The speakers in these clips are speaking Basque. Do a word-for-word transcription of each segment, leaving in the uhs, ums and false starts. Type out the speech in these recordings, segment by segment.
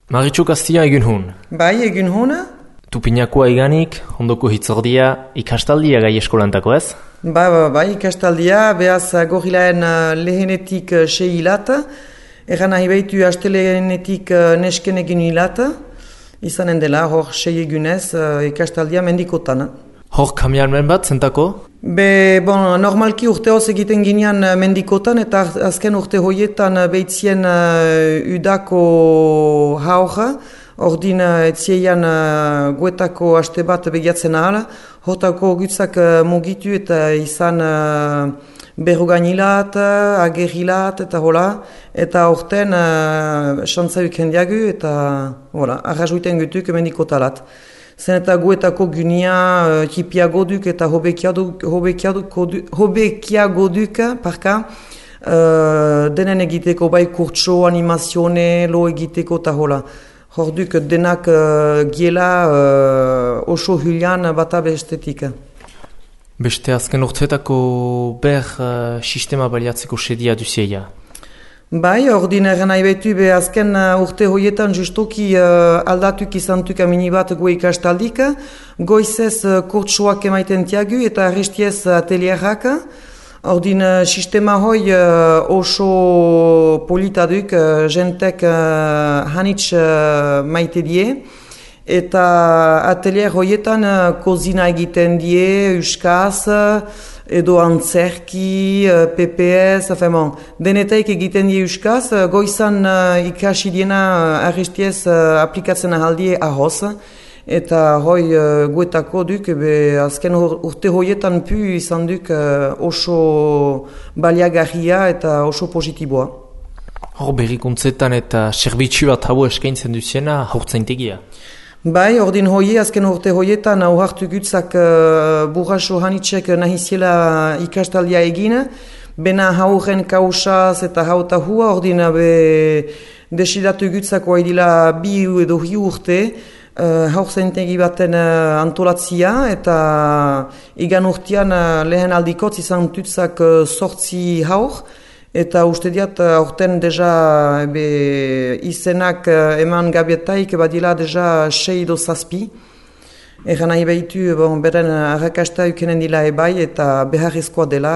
Maritxu Kastia egun hun. Bai, egun hona? Tupinakoa iganik, ondoko hitzordia, ikastaldia gai eskolantako ez? Ba, ba, bai, ikastaldia, behaz gorilaen lehenetik sei hilat, egan nahi behitu astelehenetik nesken egin hilat, izanen dela, hor sei egunez ikastaldia mendikotan. Hor kamiarmen bat zentako? Be, bon, normalki urte hoz egiten ginean mendikotan eta azken urte hoietan behitzien uh, udako haur, ordin etzieian uh, guetako haste bat begiatzen ahal, hortako gutzak uh, mugitu eta izan uh, berroganilat, agerilat eta hola, eta horten uh, xantzauk hendiagu eta hola, arrazuiten gutuk mendikotalat. Zen eta guetako gunia uh, hipiago duk eta hobekiago duk, parka, uh, denen egiteko bai kurtso, animazione, lo egiteko eta hola. Hor duk denak uh, giela uh, oso hulian bata bestetik. Beste azken urtetako ber uh, sistema baliatzeko sedia duzieia? Bai, ordin erren nahi behitu be azken uh, urte hoietan justoki uh, aldatuk izantuk amini bat gue ikastaldik, goizez uh, kurtsoak emaiten tiagu eta arrestiez atelierrak. Ordin uh, sistema hoi uh, oso politaduk, uh, jentek uh, hanitz uh, maite die, eta atelier hoietan uh, kozina egiten die, euskaz, edo antzerki, P P S, afemon, denetaik egiten die euskaz, goizan uh, ikasi diena uh, arrestiez uh, aplikatzen ahaldie ahoz, eta hoi uh, guetako duk, be, azken urte hoietan pu izan duk uh, oso baliagarria eta oso positiboa. Hor berrikuntzetan eta serbitzu bat hau eskaintzen duziena haurtzaintegia? Bai, ordin hoi, azken urte hoietan auhartu gutzak uh, burraso hanitzek nahiziela ikastaldia egin, bena hauren kausaz eta hauta hua, ordin be desidatu gutzak oaidila bi edo hi urte, uh, haurzaintegi baten uh, antolatzia, eta igan urtean uh, lehen aldikotz izan tutzak uh, sortzi haur, eta uste diat, aurten deja be, izenak eman gabietaik badila deja sei do zazpi. Egan nahi behitu, bon, beren arrakasta ukenen dila ebai eta beharrezkoa dela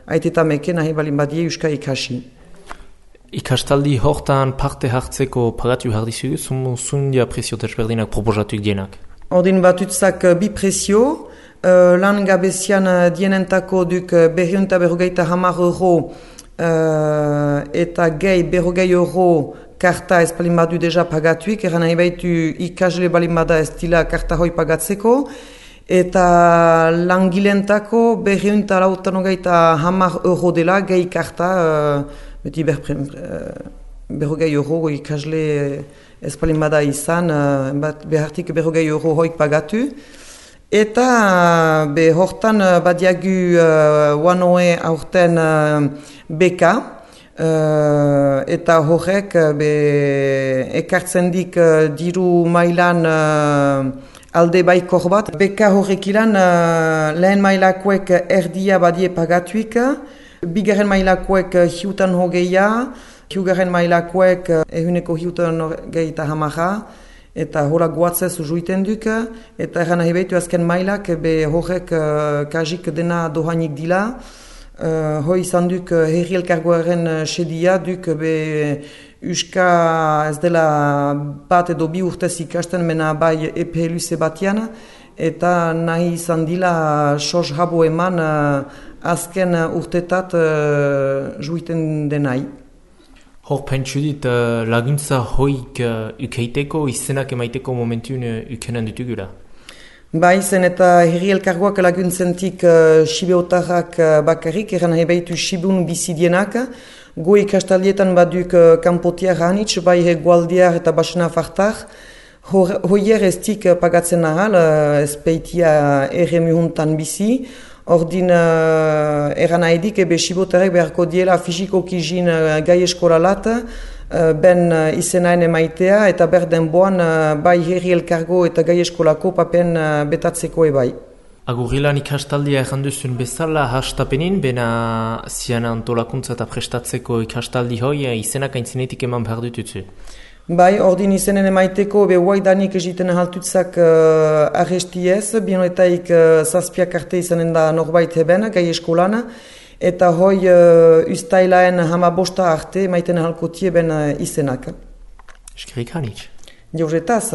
aiteta meke nahi balin badie euska ikasi. Ikastaldi hortan parte hartzeko pagatu jardizu, zundia presio desberdinak proposatuk dienak? Ordin batutzak bi presio, uh, lan gabezian dienentako duk berriunta berrogeita hamar euro Uh, eta gehi berrogei euro karta ez balin badu deja pagatuik, eran nahi behitu ikasle balin bada ez dila karta hoi pagatzeko, eta langilentako berriunta lautan hogeita hamar euro dela gehi karta, uh, beti berpre, uh, berrogei euro ikasle ez balin bada izan, uh, bat behartik berrogei euro hoik pagatu. Eta be hortan badiagu uh, wanoe aurten uh, beka, uh, eta horrek be ekartzen dik uh, diru mailan uh, alde baikor bat. Beka horrek ilan uh, lehen mailakoek erdia badie pagatuik, bigarren mailakoek hiutan hogeia, hiugarren mailakoek ehuneko hiutan hogei eta hamara, eta hola guatzez juiten duk, eta eran nahi behitu azken mailak, be horrek uh, kajik dena dohanik dila. Uh, hoi izan duk uh, herri elkargoaren uh, sedia duk, be uska ez dela bat edo bi urtez ikasten, mena bai epe luze batian, eta nahi izan dila sos habo eman uh, azken urtetat uh, juiten denai. Hor pentsu dit, uh, laguntza hoik uh, ukeiteko, izenak emaiteko momentun uh, ukenen dutugura? Bai, zen eta herri elkargoak laguntzentik uh, sibeotarrak uh, bakarrik, eran nahi behitu sibun bizidienak, go ikastaldietan baduk uh, kanpotiar hanitz, bai hegoaldiar eta basena fartar, hoier ez dik uh, pagatzen ahal, uh, ez peitia erremuhuntan bizi, ordin uh, eran nahidik ebe sibotarek beharko diela fisikoki jin uh, gai eskolalat, uh, ben uh, izenaen emaitea eta berden boan uh, bai herri elkargo eta gai eskolako papen uh, betatzeko ebai. Agurrilan ikastaldia erranduzun bezala hastapenin, bena zian antolakuntza eta prestatzeko ikastaldi hoi izenak aintzinetik eman behar dututzu? Bai, ordin izenen emaiteko, be huaidanik egiten haltutzak uh, arrestiez, binoetaik uh, zazpiak arte izanen da norbait heben, gai eskolana, eta hoi uh, ustailaen hamabosta arte maiten halko tieben uh, izenak. Eskerrik hanitz. Jauretaz.